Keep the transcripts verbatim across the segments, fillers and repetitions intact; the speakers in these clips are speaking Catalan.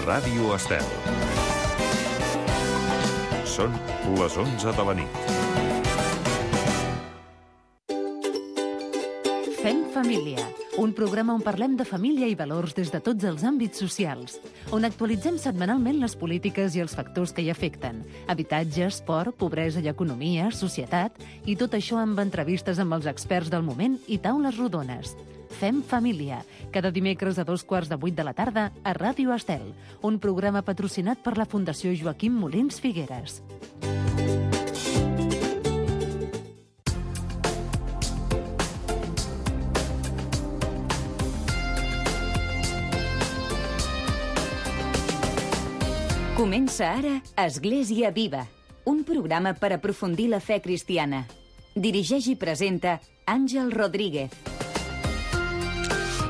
Ràdio Estel. Són les onze de la nit. Fem família, un programa on parlem de família i valors des de tots els àmbits socials, on actualitzem setmanalment les polítiques i els factors que hi afecten, habitatge, esport, pobresa i economia, societat, i tot això amb entrevistes amb els experts del moment i taules rodones. Fem família, cada dimecres a dos quarts de vuit de la tarda a Ràdio Estel, un programa patrocinat per la Fundació Joaquim Molins Figueres. Comença ara Església Viva, un programa per aprofundir la fe cristiana. Dirigeix i presenta Àngel Rodríguez.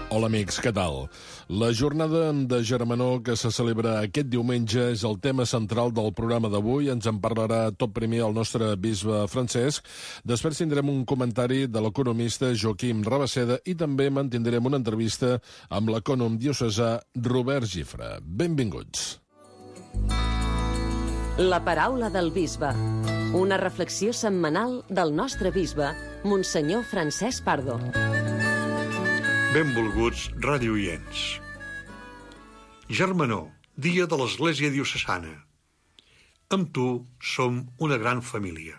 Hola amics, què tal? La jornada de Germanor que se celebra aquest diumenge és el tema central del programa d'avui. Ens en parlarà tot primer el nostre bisbe Francesc. Després tindrem un comentari de l'economista Joaquim Rabaseda i també mantindrem una entrevista amb l'ecònom diocesà Robert Gifre. Benvinguts. La paraula del bisbe. Una reflexió setmanal del nostre bisbe, Monsenyor Francesc Pardo. Benvolguts radioients. Germanor, dia de l'Església Diocesana. Amb tu som una gran família.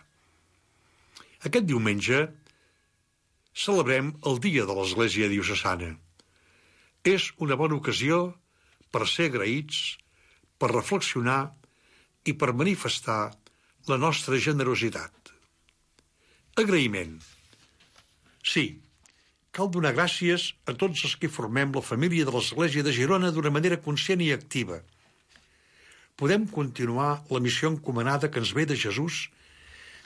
Aquest diumenge celebrem el dia de l'Església Diocesana. És una bona ocasió per ser agraïts, per reflexionar i per manifestar la nostra generositat. Agraïment. Sí, cal donar gràcies a tots els que formem la família de l'Església de Girona d'una manera conscient i activa. Podem continuar la missió encomanada que ens ve de Jesús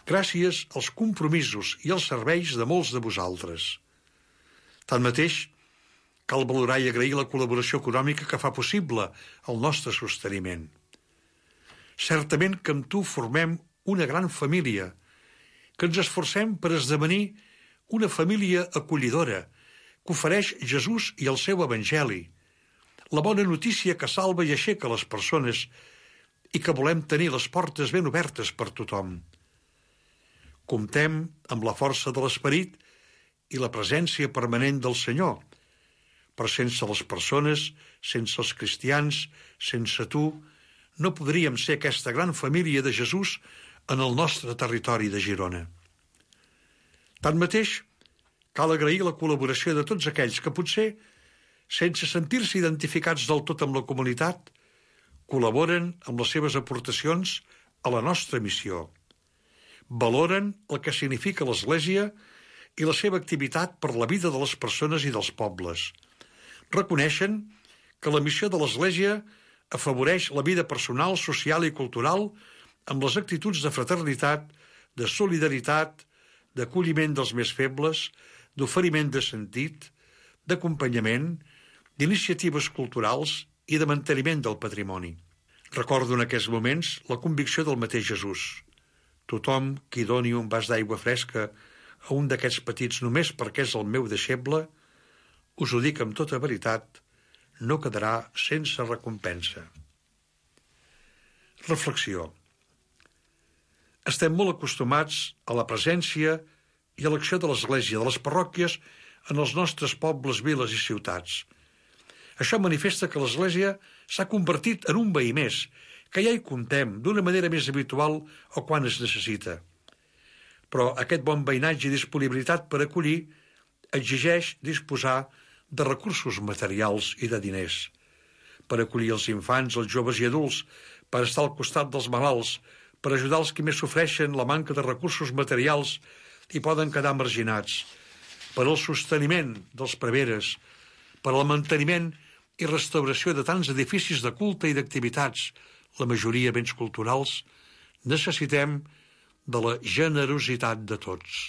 gràcies als compromisos i als serveis de molts de vosaltres. Tanmateix, cal valorar i agrair la col·laboració econòmica que fa possible el nostre sosteniment. Certament que amb tu formem una gran família, que ens esforcem per esdevenir una família acollidora que ofereix Jesús i el seu evangeli, la bona notícia que salva i aixeca les persones i que volem tenir les portes ben obertes per tothom. Comptem amb la força de l'esperit i la presència permanent del Senyor, però sense les persones, sense els cristians, sense tu, no podríem ser aquesta gran família de Jesús en el nostre territori de Girona. Tanmateix, cal agrair la col·laboració de tots aquells que potser, sense sentir-se identificats del tot amb la comunitat, col·laboren amb les seves aportacions a la nostra missió. Valoren el que significa l'Església i la seva activitat per la vida de les persones i dels pobles. Reconeixen que la missió de l'Església afavoreix la vida personal, social i cultural amb les actituds de fraternitat, de solidaritat, d'acolliment dels més febles, d'oferiment de sentit, d'acompanyament, d'iniciatives culturals i de manteniment del patrimoni. Recordo en aquests moments la convicció del mateix Jesús. Tothom qui doni un vas d'aigua fresca a un d'aquests petits només perquè és el meu deixeble, us ho dic amb tota veritat, no quedarà sense recompensa. Reflexió. Estem molt acostumats a la presència i a l'acció de l'Església, de les parròquies, en els nostres pobles, viles i ciutats. Això manifesta que l'Església s'ha convertit en un veí més, que ja hi comptem d'una manera més habitual o quan es necessita. Però aquest bon veïnatge i disponibilitat per acollir exigeix disposar de recursos materials i de diners, per acollir els infants, els joves i adults, per estar al costat dels malalts, per ajudar els que més sofreixen la manca de recursos materials i poden quedar marginats, per al sosteniment dels preveres, per al manteniment i restauració de tants edificis de culte i d'activitats, la majoria béns culturals, necessitem de la generositat de tots.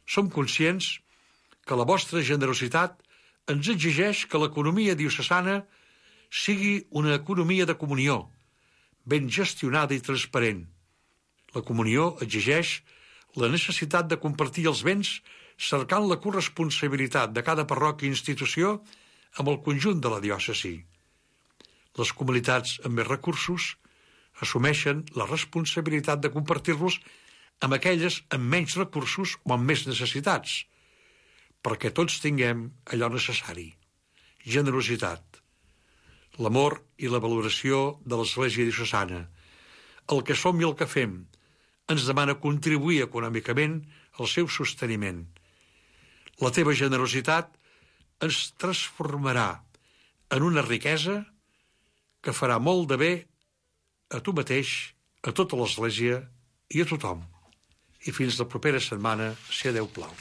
Som conscients que la vostra generositat ens exigeix que l'economia diocesana sigui una economia de comunió, ben gestionada i transparent. La comunió exigeix la necessitat de compartir els béns cercant la corresponsabilitat de cada parròquia i institució amb el conjunt de la diòcesi. Les comunitats amb més recursos assumeixen la responsabilitat de compartir-los amb aquelles amb menys recursos o amb més necessitats, perquè tots tinguem allò necessari. Generositat. L'amor i la valoració de l'Església diocesana. El que som i el que fem ens demana contribuir econòmicament al seu sosteniment. La teva generositat ens transformarà en una riquesa que farà molt de bé a tu mateix, a tota l'Església i a tothom. I fins la propera setmana, si a Déu plau.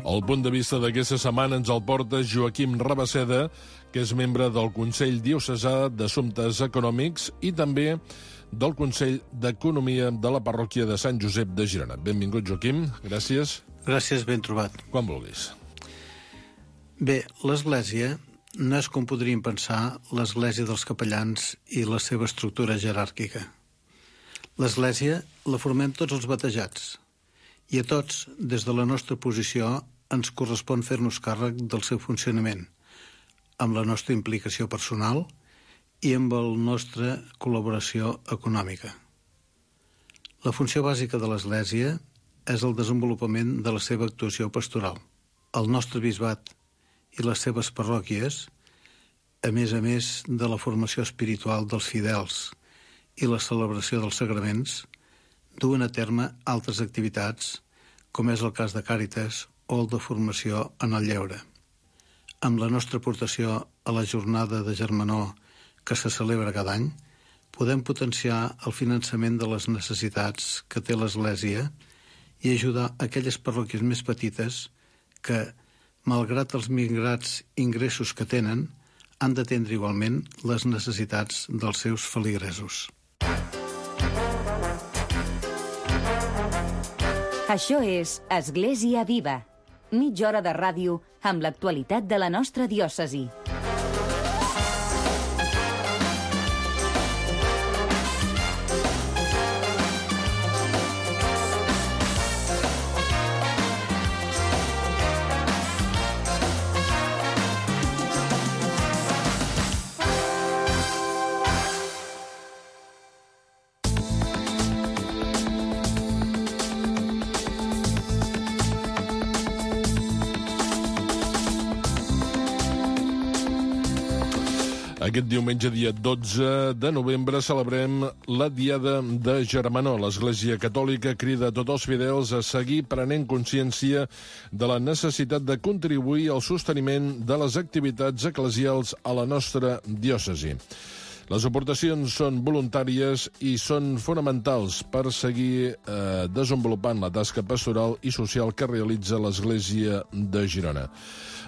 El punt de vista d'aquesta setmana ens el porta Joaquim Rabasseda, que és membre del Consell Diocesà d'Assumptes Econòmics i també del Consell d'Economia de la Parròquia de Sant Josep de Girona. Benvingut, Joaquim. Gràcies. Gràcies, ben trobat. Quan vulguis. Bé, l'Església no és com podríem pensar l'Església dels capellans i la seva estructura jeràrquica. L'Església la formem tots els batejats i a tots, des de la nostra posició, ens correspon fer-nos càrrec del seu funcionament, amb la nostra implicació personal i amb la nostra col·laboració econòmica. La funció bàsica de l'Església és el desenvolupament de la seva actuació pastoral. El nostre bisbat i les seves parròquies, a més a més de la formació espiritual dels fidels i la celebració dels sagraments, duen a terme altres activitats, com és el cas de Càritas o el de formació en el lleure. Amb la nostra aportació a la jornada de Germanor que se celebra cada any, podem potenciar el finançament de les necessitats que té l'Església i ajudar aquelles parròquies més petites que, malgrat els migrats ingressos que tenen, han d'atendre igualment les necessitats dels seus feligresos. Això és Església Viva, mitja hora de ràdio amb l'actualitat de la nostra diòcesi. Aquest diumenge, dia dotze de novembre, celebrem la Diada de Germanor. L'Església Catòlica crida a tots els fidels a seguir prenent consciència de la necessitat de contribuir al sosteniment de les activitats eclesials a la nostra diòcesi. Les aportacions són voluntàries i són fonamentals per seguir eh, desenvolupant la tasca pastoral i social que realitza l'Església de Girona.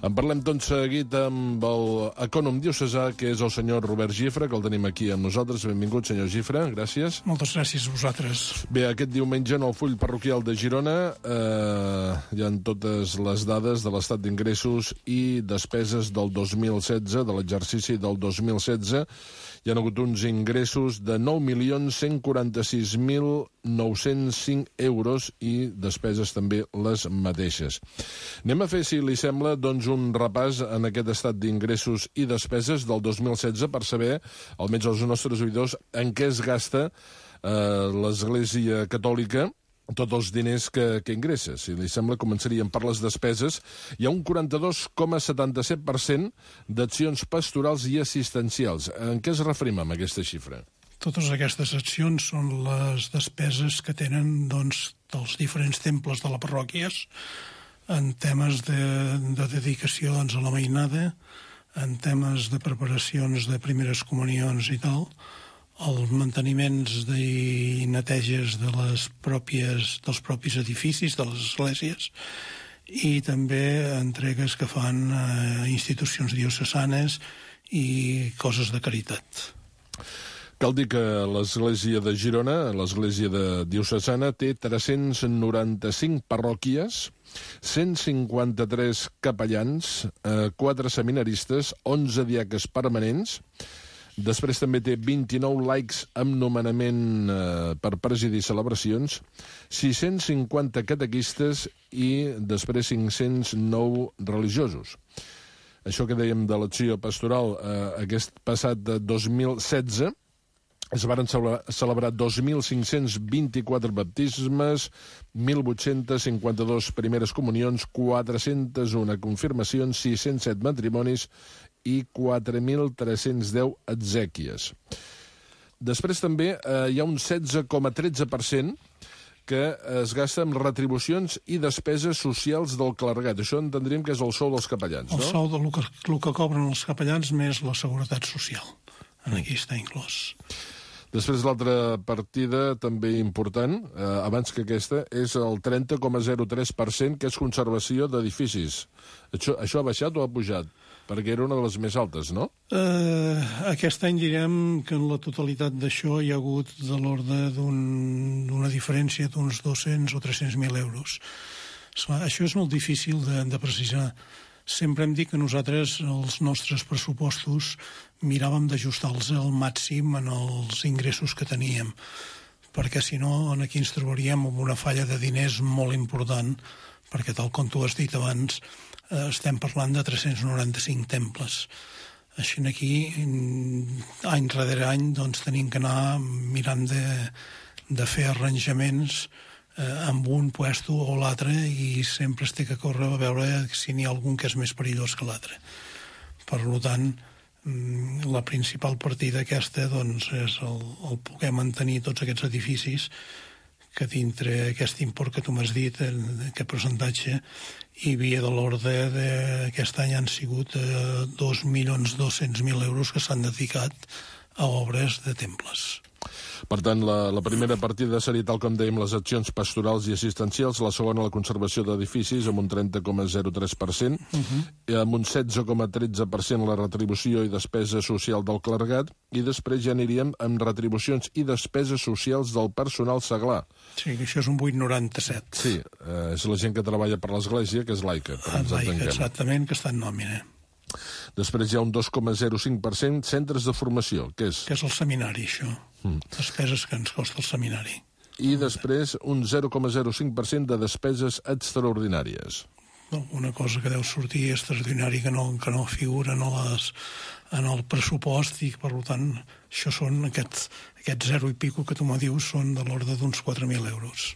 En parlem tot seguit amb l'ecònom diocesà, que és el senyor Robert Gifre, que el tenim aquí amb nosaltres. Benvingut, senyor Gifre, gràcies. Moltes gràcies a vosaltres. Bé, aquest diumenge en el full parroquial de Girona eh, hi ha totes les dades de l'estat d'ingressos i despeses del dos mil setze, de l'exercici del dos mil setze. Hi ha hagut uns ingressos de nou milions cent quaranta-sis mil nou-cents cinc euros i despeses també les mateixes. Anem a fer, si li sembla, doncs un repàs en aquest estat d'ingressos i despeses del dos mil setze per saber, almenys els nostres oïdors, en què es gasta eh, l'Església Catòlica tots els diners que, que ingressa. Si li sembla, començaríem per les despeses. Hi ha un quaranta-dos coma setanta-set per cent d'accions pastorals i assistencials. En què es referim amb aquesta xifra? Totes aquestes accions són les despeses que tenen doncs, dels diferents temples de la parròquies en temes de, de dedicació doncs, a la mainada, en temes de preparacions de primeres comunions i tal, els manteniments i neteges de les pròpies, dels propis edificis, de les esglésies, i també entregues que fan a institucions diocesanes i coses de caritat. Cal dir que l'Església de Girona, l'Església de diocesana, té tres-cents noranta-cinc parròquies, cent cinquanta-tres capellans, quatre seminaristes, onze diaques permanents, Després també té vint-i-nou likes amb nomenament eh, per presidir celebracions, sis-cents cinquanta catequistes i després cinc-cents nou religiosos. Això que dèiem de l'acció pastoral, eh, aquest passat de dos mil setze, es van celebrar dos mil cinc-cents vint-i-quatre baptismes, mil vuit-cents cinquanta-dos primeres comunions, quatre-cents u confirmacions, sis-cents set matrimonis i quatre mil tres-cents deu exèquies. Després també eh, hi ha un setze coma tretze per cent que es gasta en retribucions i despeses socials del clergat. Això entendríem que és el sou dels capellans, no? El sou del que, el que cobren els capellans més la seguretat social. Aquí està inclòs. Després l'altra partida també important, eh, abans que aquesta, és el trenta coma zero tres per cent, que és conservació d'edificis. Això, això ha baixat o ha pujat? Perquè era una de les més altes, no? Uh, aquest any direm que en la totalitat d'això hi ha hagut de l'ordre d'una un, diferència d'uns dos-cents o tres-cents mil euros. Això és molt difícil de, de precisar. Sempre hem dit que nosaltres, els nostres pressupostos, miràvem d'ajustar-los al màxim en els ingressos que teníem, perquè si no aquí ens trobaríem amb una falla de diners molt important, perquè tal com tu has dit abans, estem parlant de tres-cents noranta-cinc temples. Així aquí, any rere any, doncs, tenim que anar mirant de, de fer arranjaments eh, amb un puesto o l'altre i sempre es té que córrer a veure si n'hi ha algun que és més perillós que l'altre. Per tant, la principal partida aquesta doncs, és el, el poder mantenir tots aquests edificis que dintre aquest import que tu m'has dit, aquest percentatge, hi havia de l'ordre d'aquest any han sigut eh, dos milions dos-cents mil euros que s'han dedicat a obres de temples. Per tant, la, la primera partida seria, tal com dèiem, les accions pastorals i assistencials, la segona, la conservació d'edificis, amb un trenta coma zero tres per cent, uh-huh. amb un setze coma tretze per cent la retribució i despesa social del clergat, i després ja aniríem amb retribucions i despeses socials del personal seglar. Sí, que això és un vuit coma noranta-set. Sí, eh, és la gent que treballa per l'Església, que és laica. Ah, laica, exactament, que està en nòmina. Després hi ha un dos coma zero cinc per cent centres de formació, que és... Que és el seminari, això. Mm. Despeses que ens costa el seminari. I després un zero coma zero cinc per cent de despeses extraordinàries. No, una cosa que deu sortir extraordinari que no, que no figura en, les, en el pressupost i, per tant, això són aquests, aquests zero i pico que tu me dius són de l'ordre d'uns quatre mil euros.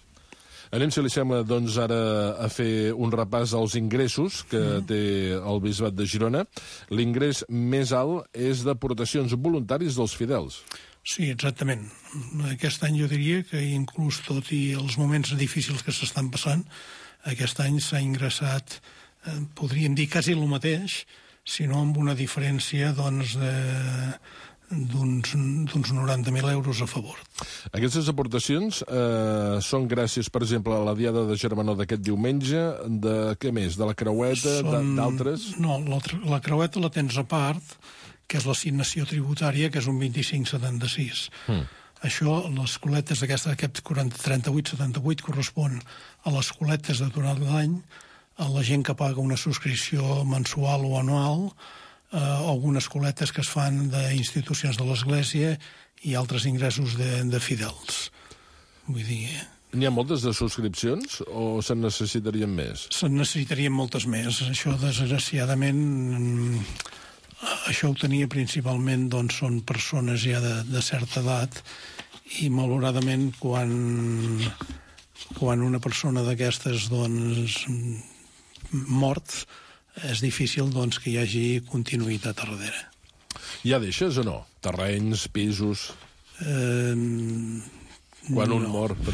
Anem, si li sembla, doncs, ara a fer un repàs als ingressos que mm. té el Bisbat de Girona. L'ingrés més alt és d'aportacions voluntaris dels fidels. Sí, exactament. Aquest any jo diria que inclús tot i els moments difícils que s'estan passant, aquest any s'ha ingressat, eh, podríem dir quasi el mateix, sinó amb una diferència, doncs, de... d'uns noranta mil euros a favor. Aquestes aportacions eh, són gràcies, per exemple, a la Diada de Germanó d'aquest diumenge, de què més? De la creueta, són... d'altres? No, la, la creueta la tens a part, que és l'assignació tributària, que és un vint-i-cinc coma setanta-sis. Mm. Això, les coletes d'aquesta, aquest trenta-vuit setanta-vuit correspon a les coletes de durant l'any, a la gent que paga una subscripció mensual o anual, Uh, algunes coletes que es fan d'institucions de l'Església i altres ingressos de, de fidels. Vull dir... N'hi ha moltes de subscripcions o se'n necessitarien més? Se'n necessitarien moltes més. Això, desgraciadament, això ho tenia principalment, doncs, són persones ja de, de certa edat i, malauradament, quan, quan una persona d'aquestes, doncs, mort, és difícil, doncs, que hi hagi continuïtat a darrere. Ja deixes o no? Terrenys, pisos... Eh, Quan no. un mor, per...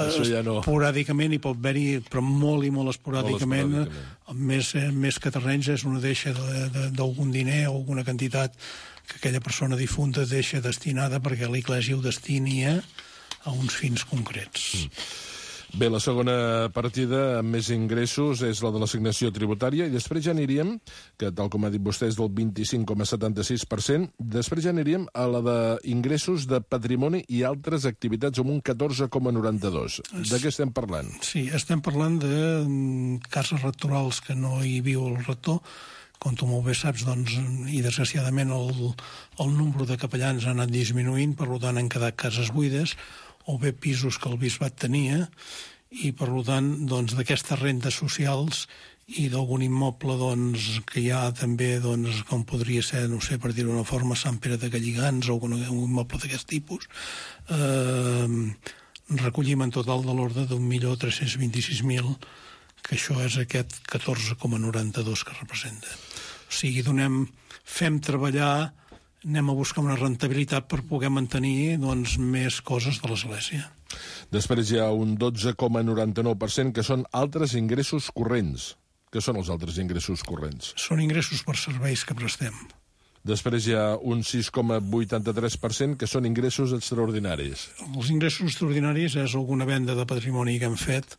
això ja no... Esporàdicament hi pot haver-hi, però molt i molt esporàdicament, molt esporàdicament. Més, més que terrenys és una deixa d'algun diner o alguna quantitat que aquella persona difunta deixa destinada perquè l'Església ho destini a uns fins concrets. Mm. Bé, la segona partida amb més ingressos és la de l'assignació tributària i després ja aniríem, que tal com ha dit vostè és del vint-i-cinc coma setanta-sis per cent, després ja aniríem a la d'ingressos de patrimoni i altres activitats amb un catorze coma noranta-dos. De què estem parlant? Sí, estem parlant de cases rectorals que no hi viu el rector, com tu molt bé saps, doncs, i desgraciadament el, el nombre de capellans ha anat disminuint, per tant han quedat cases buides, o bé pisos que el bisbat tenia, i per tant, doncs, d'aquestes rendes socials i d'algun immoble doncs, que hi ha també, doncs, com podria ser, no sé, per dir-ho d'una forma, Sant Pere de Galligants o algun immoble d'aquest tipus, eh, recollim en total de l'ordre d'un milió tres-cents vint-i-sis mil, que això és aquest catorze coma noranta-dos que representa. O sigui, donem, fem treballar, anem a buscar una rentabilitat per poder mantenir doncs, més coses de l'Església. Després hi ha un dotze coma noranta-nou per cent que són altres ingressos corrents. Què són els altres ingressos corrents? Són ingressos per serveis que prestem. Després hi ha un sis coma vuitanta-tres per cent que són ingressos extraordinaris. Els ingressos extraordinaris és alguna venda de patrimoni que hem fet.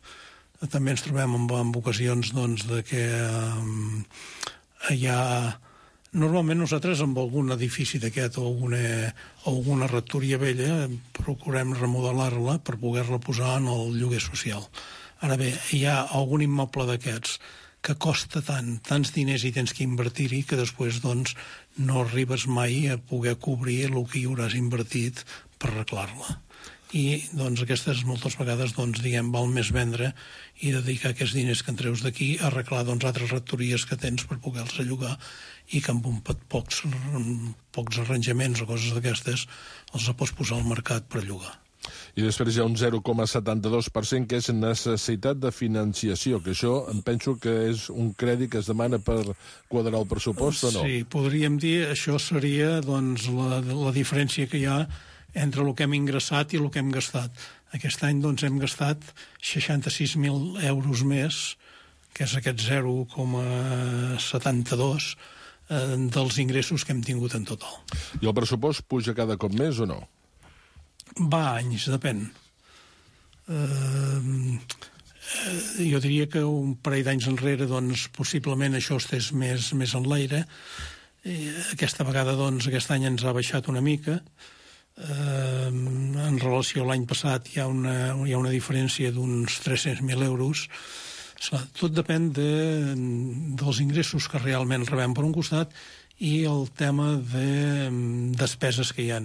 També ens trobem en, en ocasions doncs, de que um, hi ha... Normalment nosaltres amb algun edifici d'aquest o alguna, o alguna rectoria vella procurem remodelar-la per poder-la posar en el lloguer social. Ara bé, hi ha algun immoble d'aquests que costa tant, tants diners i tens que invertir-hi que després doncs, no arribes mai a poder cobrir el que hi hauràs invertit per arreglar-la. I doncs, aquestes moltes vegades doncs, diguem, val més vendre i dedicar aquests diners que en treus d'aquí a arreglar doncs, altres rectories que tens per poder-los llogar i que amb un pocs, pocs arranjaments o coses d'aquestes els pots posar al mercat per llogar. I després hi ha un zero coma setanta-dos per cent que és necessitat de financiació, que això em penso que és un crèdit que es demana per quadrar el pressupost o no? Sí, podríem dir, això seria doncs, la, la diferència que hi ha entre el que hem ingressat i el que hem gastat. Aquest any doncs, hem gastat seixanta-sis mil euros més, que és aquest zero coma setanta-dos eh, dels ingressos que hem tingut en total. I el pressupost puja cada cop més o no? Va anys, depèn. Eh, jo diria que un parell d'anys enrere doncs, possiblement això estés més, més en l'aire. Eh, aquesta vegada, doncs, aquest any ens ha baixat una mica. Uh, en relació a l'any passat hi ha una, hi ha una diferència d'uns tres-cents mil euros. Tot depèn de, dels ingressos que realment rebem per un costat i el tema de despeses que hi ha.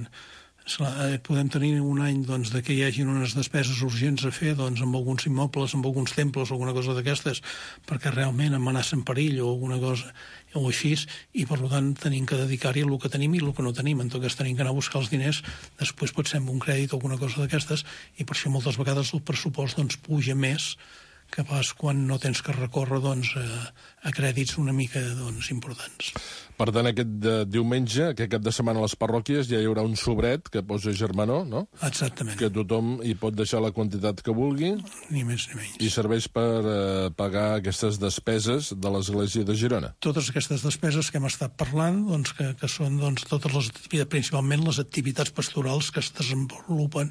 Podem tenir un any doncs, de que hi hagi unes despeses urgents a fer doncs, amb alguns immobles, amb alguns temples o alguna cosa d'aquestes, perquè realment amenacen perill o alguna cosa o així, i per tant tenim que dedicar-hi el que tenim i el que no tenim. En tot cas tenim que anar a buscar els diners, després pot ser amb un crèdit o alguna cosa d'aquestes, i per això moltes vegades el pressupost doncs, puja més que pas quan no tens que recórrer doncs, a, a crèdits una mica doncs, importants. Per tant, aquest de, diumenge, aquest cap de setmana a les parròquies, ja hi haurà un sobret que posa germanor, no? Exactament. Que tothom hi pot deixar la quantitat que vulgui. Ni més ni menys. I serveix per eh, pagar aquestes despeses de l'Església de Girona. Totes aquestes despeses que hem estat parlant, doncs, que, que són doncs, totes les activitats, principalment les activitats pastorals que es desenvolupen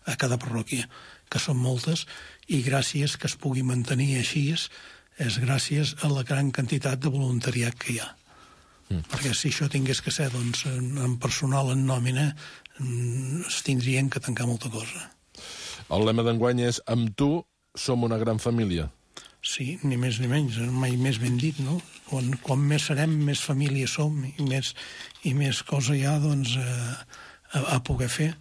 a cada parròquia, que són moltes, i gràcies que es pugui mantenir així és gràcies a la gran quantitat de voluntariat que hi ha. Mm. Perquè si això tingués que ser doncs, en personal, en nòmina, es tindrien que tancar molta cosa. El lema d'enguany és «Amb tu som una gran família». Sí, ni més ni menys, mai més ben dit, no? Quan, quan més serem, més família som i més, i més cosa hi ha doncs, a, a poder fer.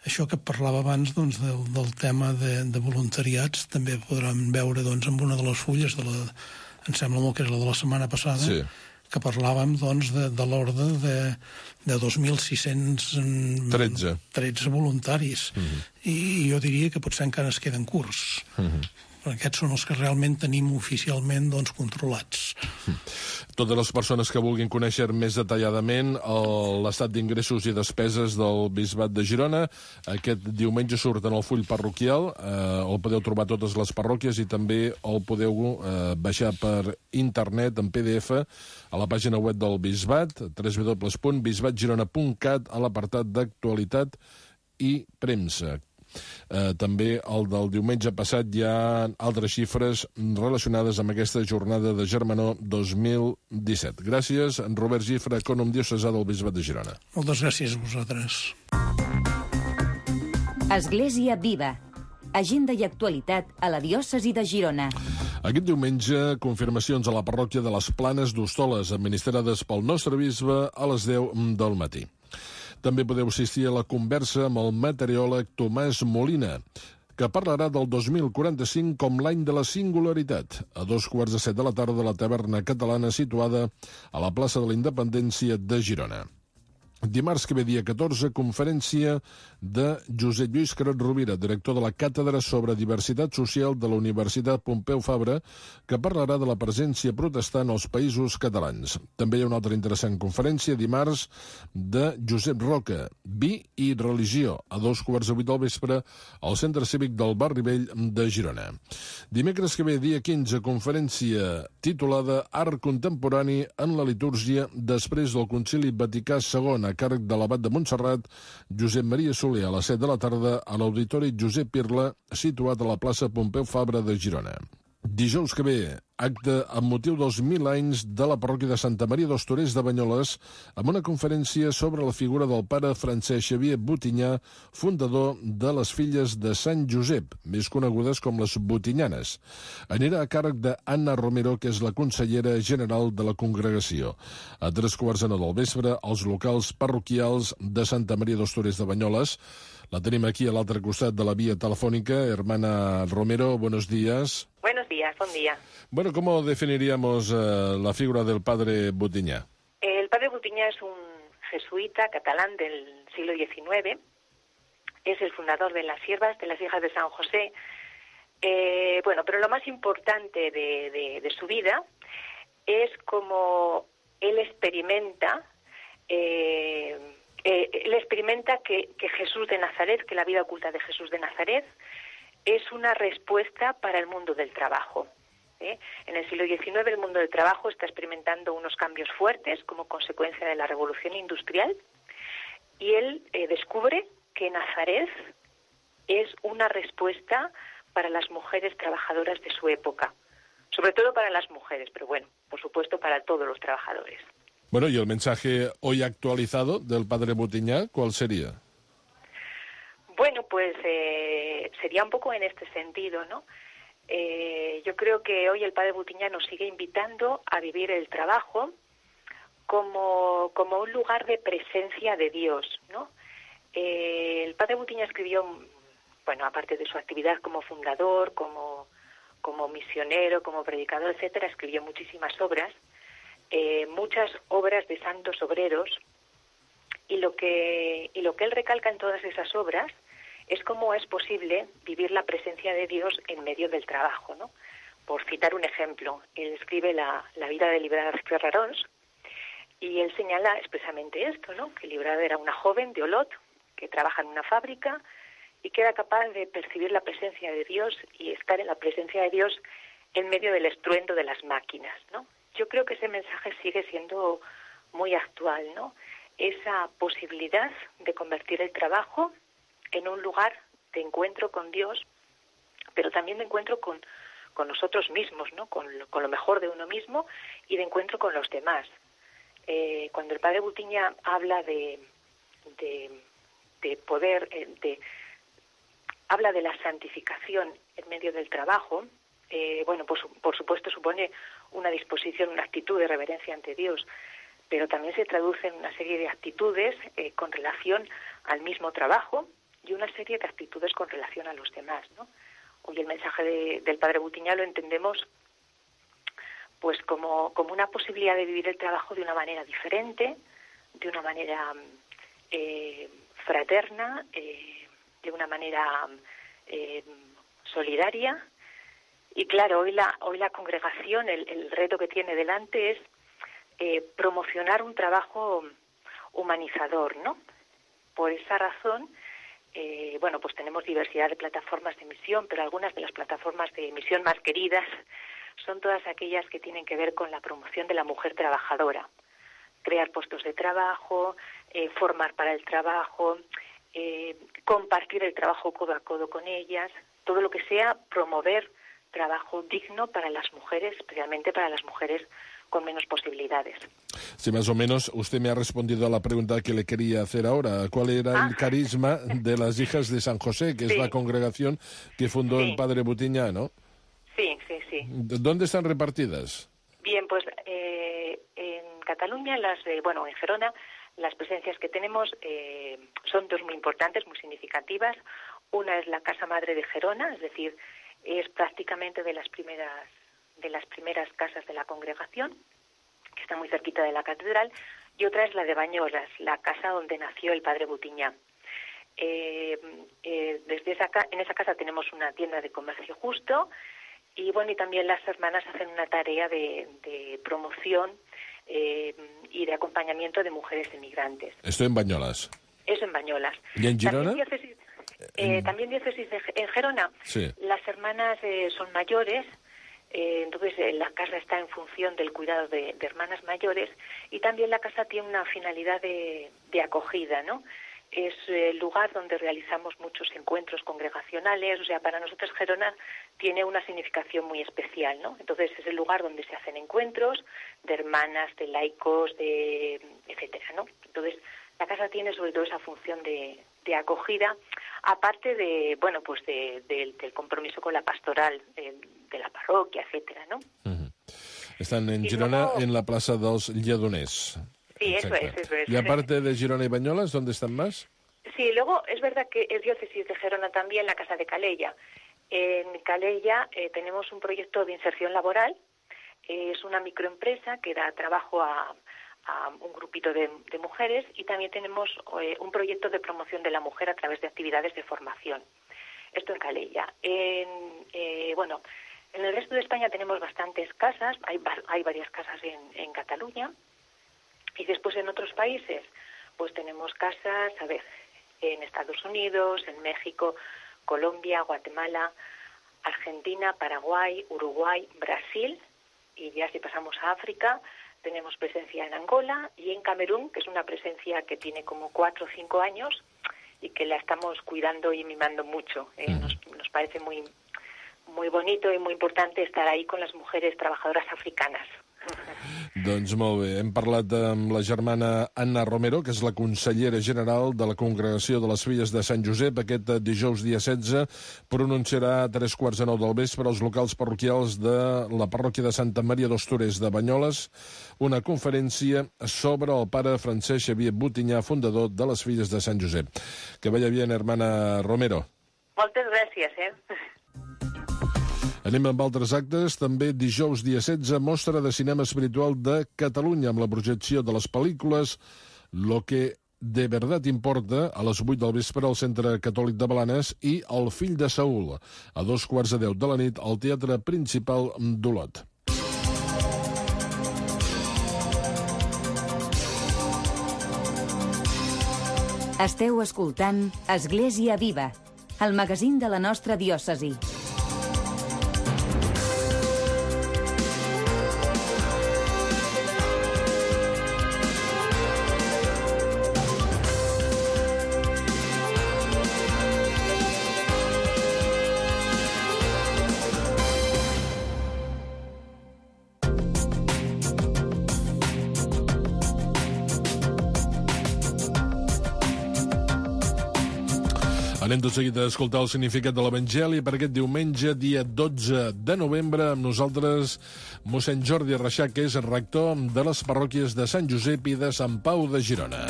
Això que parlava abans doncs, del, del tema de, de voluntariats també podran veure doncs, en una de les fulles, de la, em sembla molt que és la de la setmana passada, sí, que parlàvem doncs, de, de l'ordre de, de dos mil sis-cents tretze voluntaris. Uh-huh. I, I jo diria que potser encara es queden curts. Uh-huh. Aquests són els que realment tenim oficialment doncs, controlats. Totes les persones que vulguin conèixer més detalladament l'estat d'ingressos i despeses del Bisbat de Girona, aquest diumenge surt en el full parroquial, eh, el podeu trobar a totes les parròquies i també el podeu eh, baixar per internet en P D F a la pàgina web del Bisbat, w w w punt bisbat girona punt cat, a l'apartat d'actualitat i premsa. Eh, també el del diumenge passat hi ha altres xifres relacionades amb aquesta jornada de Germanor dos mil disset. Gràcies, Robert Gifra, ecònom diocesà del Bisbat de Girona. Moltes gràcies a vosaltres. Església Viva. Agenda i actualitat a la diòcesi de Girona. Aquest diumenge, confirmacions a la parròquia de les Planes d'Hostoles, administrades pel nostre bisbe, a les deu del matí. També podeu assistir a la conversa amb el meteoròleg Tomàs Molina, que parlarà del dos mil quaranta-cinc com l'any de la singularitat, a dos quarts de set de la tarda a la taverna catalana situada a la plaça de la Independència de Girona. Dimarts que ve, dia catorze, conferència de Josep Lluís Carot Rovira, director de la Càtedra sobre Diversitat Social de la Universitat Pompeu Fabra, que parlarà de la presència protestant als països catalans. També hi ha una altra interessant conferència dimarts de Josep Roca, Vi i Religió, a dos quarts de vuit del vespre al Centre Cívic del Barri Vell de Girona. Dimecres que ve, dia quinze, conferència titulada Art Contemporani en la Litúrgia després del Concili Vaticà segon, a càrrec de l'abat de Montserrat, Josep Maria Soler, a les set de la tarda a l'Auditori Josep Pirla, situat a la plaça Pompeu Fabra de Girona. Dijous que ve, acte amb motiu dels mil anys de la parròquia de Santa Maria dels Torers de Banyoles, amb una conferència sobre la figura del pare Francesc Xavier Botinyà, fundador de les Filles de Sant Josep, més conegudes com les Botinyanes. Anirà a càrrec d'Anna Romero, que és la consellera general de la congregació. A tres quarts de nou del vespre, als locals parroquials de Santa Maria dels Torers de Banyoles. La tenim aquí a l'altre costat de la vía telefónica. Hermana Romero, buenos días. Buenos días, buen día. Bueno, ¿cómo definiríamos uh, la figura del padre Botinyà? El padre Botinyà es un jesuita catalán del siglo diecinueve. Es el fundador de las Siervas de las Hijas de San José. Eh, bueno, pero lo más importante de, de, de su vida es cómo él experimenta... Eh, Eh, él experimenta que, que Jesús de Nazaret, que la vida oculta de Jesús de Nazaret, es una respuesta para el mundo del trabajo. ¿eh? En el siglo diecinueve el mundo del trabajo está experimentando unos cambios fuertes como consecuencia de la revolución industrial, y él eh, descubre que Nazaret es una respuesta para las mujeres trabajadoras de su época, sobre todo para las mujeres, pero bueno, por supuesto para todos los trabajadores. Bueno, y el mensaje hoy actualizado del padre Botinyà, ¿cuál sería? Bueno, pues eh, sería un poco en este sentido, ¿no? Eh, yo creo que hoy el padre Botinyà nos sigue invitando a vivir el trabajo como, como un lugar de presencia de Dios, ¿no? Eh, el padre Botinyà escribió, bueno, aparte de su actividad como fundador, como, como misionero, como predicador, etcétera, escribió muchísimas obras. Eh, muchas obras de santos obreros, y lo que y lo que él recalca en todas esas obras es cómo es posible vivir la presencia de Dios en medio del trabajo, ¿no? Por citar un ejemplo, él escribe la, la vida de Librada Ferrarons, y él señala expresamente esto, ¿no? Que Librada era una joven de Olot que trabaja en una fábrica y que era capaz de percibir la presencia de Dios y estar en la presencia de Dios en medio del estruendo de las máquinas, ¿no? Yo creo que ese mensaje sigue siendo muy actual, ¿no? Esa posibilidad de convertir el trabajo en un lugar de encuentro con Dios, pero también de encuentro con, con nosotros mismos, ¿no? Con lo, con lo mejor de uno mismo y de encuentro con los demás. Eh, cuando el padre Botinyà habla de, de, de poder, eh, de, habla de la santificación en medio del trabajo, eh, bueno, pues por supuesto supone una disposición, una actitud de reverencia ante Dios, pero también se traduce en una serie de actitudes eh, con relación al mismo trabajo y una serie de actitudes con relación a los demás, ¿no? Hoy el mensaje de, del padre Botinyà lo entendemos pues como, como una posibilidad de vivir el trabajo de una manera diferente, de una manera eh, fraterna, eh, de una manera eh, solidaria. Y claro, hoy la, hoy la congregación, el, el reto que tiene delante es eh, promocionar un trabajo humanizador, ¿no? Por esa razón, eh, bueno, pues tenemos diversidad de plataformas de misión, pero algunas de las plataformas de misión más queridas son todas aquellas que tienen que ver con la promoción de la mujer trabajadora. Crear puestos de trabajo, eh, formar para el trabajo, eh, compartir el trabajo codo a codo con ellas, todo lo que sea promover trabajo digno para las mujeres, especialmente para las mujeres con menos posibilidades. Sí, más o menos usted me ha respondido a la pregunta que le quería hacer ahora. ¿Cuál era ah. el carisma de las Hijas de San José, que sí. es la congregación que fundó sí. el padre Botinyà, ¿no? Sí, sí, sí. sí. ¿Dónde están repartidas? Bien, pues eh, en Cataluña, las, eh, bueno, en Gerona, las presencias que tenemos eh, son dos muy importantes, muy significativas. Una es la Casa Madre de Gerona, es decir, es prácticamente de las primeras de las primeras casas de la congregación, que está muy cerquita de la catedral, y otra es la de Bañolas, la casa donde nació el padre Butiñá. Eh, eh, desde esa en esa casa tenemos una tienda de comercio justo, y bueno, y también las hermanas hacen una tarea de, de promoción eh, y de acompañamiento de mujeres emigrantes. Estoy en Bañolas. Eso en Bañolas. ¿Y en Girona? También diócesis, eh, en... también diócesis de, en Gerona. Sí. Las hermanas eh, son mayores, eh, entonces eh, la casa está en función del cuidado de, de hermanas mayores, y también la casa tiene una finalidad de, de acogida, ¿no? Es el lugar donde realizamos muchos encuentros congregacionales, o sea, para nosotros Gerona tiene una significación muy especial, ¿no? Entonces es el lugar donde se hacen encuentros de hermanas, de laicos, de etcétera, ¿no? Entonces la casa tiene sobre todo esa función de, de acogida, aparte de, bueno, pues de, de, del compromiso con la pastoral de, de la parroquia, etcétera, ¿no? Uh-huh. Están en y Girona, luego... en la Plaza dels Lledoners. Sí, eso es, eso es. Y aparte de Girona y Bañolas, ¿dónde están más? Sí, luego es verdad que es diócesis de Gerona también la Casa de Calella. En Calella eh, tenemos un proyecto de inserción laboral, eh, es una microempresa que da trabajo a, a un grupito de, de mujeres, y también tenemos eh, un proyecto de promoción de la mujer a través de actividades de formación. Esto en Calella. En, eh, bueno, en el resto de España tenemos bastantes casas, hay, hay varias casas en, en Cataluña. Y después en otros países, pues tenemos casas, a ver, en Estados Unidos, en México, Colombia, Guatemala, Argentina, Paraguay, Uruguay, Brasil, y ya si pasamos a África, tenemos presencia en Angola y en Camerún, que es una presencia que tiene como cuatro o cinco años y que la estamos cuidando y mimando mucho. Eh, nos, nos parece muy, muy bonito y muy importante estar ahí con las mujeres trabajadoras africanas. Doncs molt bé, hem parlat amb la germana Anna Romero, que és la consellera general de la Congregació de les Filles de Sant Josep. Aquest dijous dia setze pronunciarà a tres quarts de nou del vespre als locals parroquials de la parròquia de Santa Maria dels Torers de Banyoles una conferència sobre el pare Francesc Xavier Butinyà, fundador de les Filles de Sant Josep. Que vaya bien, hermana Romero. Moltes gràcies, eh? Anem amb altres actes. També dijous dia setze, mostra de cinema espiritual de Catalunya, amb la projecció de les pel·lícules Lo que de verdad importa, a les vuit del vespre al Centre Catòlic de Blanes, i El fill de Saúl, a dos quarts de deu de la nit al Teatre Principal d'Olot. Esteu escoltant Església Viva, el magazín de la nostra diòcesi. Anem tot seguit a escoltar el significat de l'Evangeli per aquest diumenge, dia dotze de novembre, amb nosaltres mossèn Jordi Reixac, que és rector de les parròquies de Sant Josep i de Sant Pau de Girona.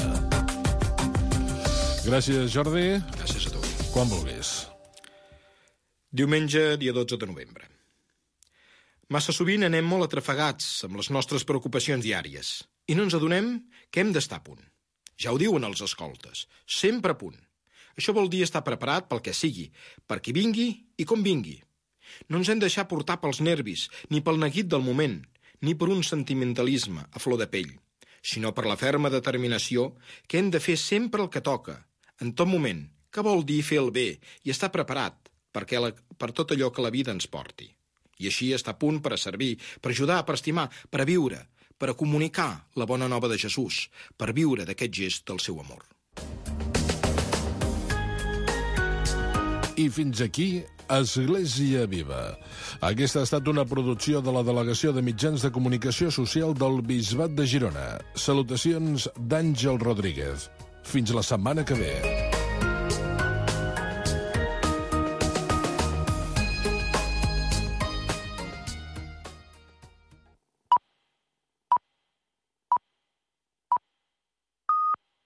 Gràcies, Jordi. Gràcies a tu. Quan vulguis. Diumenge, dia dotze de novembre. Massa sovint anem molt atrafegats amb les nostres preocupacions diàries i no ens adonem que hem d'estar a punt. Ja ho diuen els escoltes, sempre a punt. Això vol dir estar preparat pel que sigui, per qui vingui i com vingui. No ens hem de deixar portar pels nervis, ni pel neguit del moment, ni per un sentimentalisme a flor de pell, sinó per la ferma determinació que hem de fer sempre el que toca, en tot moment, que vol dir fer el bé i estar preparat perquè la, per tot allò que la vida ens porti. I així estar a punt per a servir, per ajudar, per estimar, per a viure, per a comunicar la bona nova de Jesús, per viure d'aquest gest del seu amor. I fins aquí, Església Viva. Aquesta ha estat una producció de la Delegació de Mitjans de Comunicació Social del Bisbat de Girona. Salutacions d'Àngel Rodríguez. Fins la setmana que ve.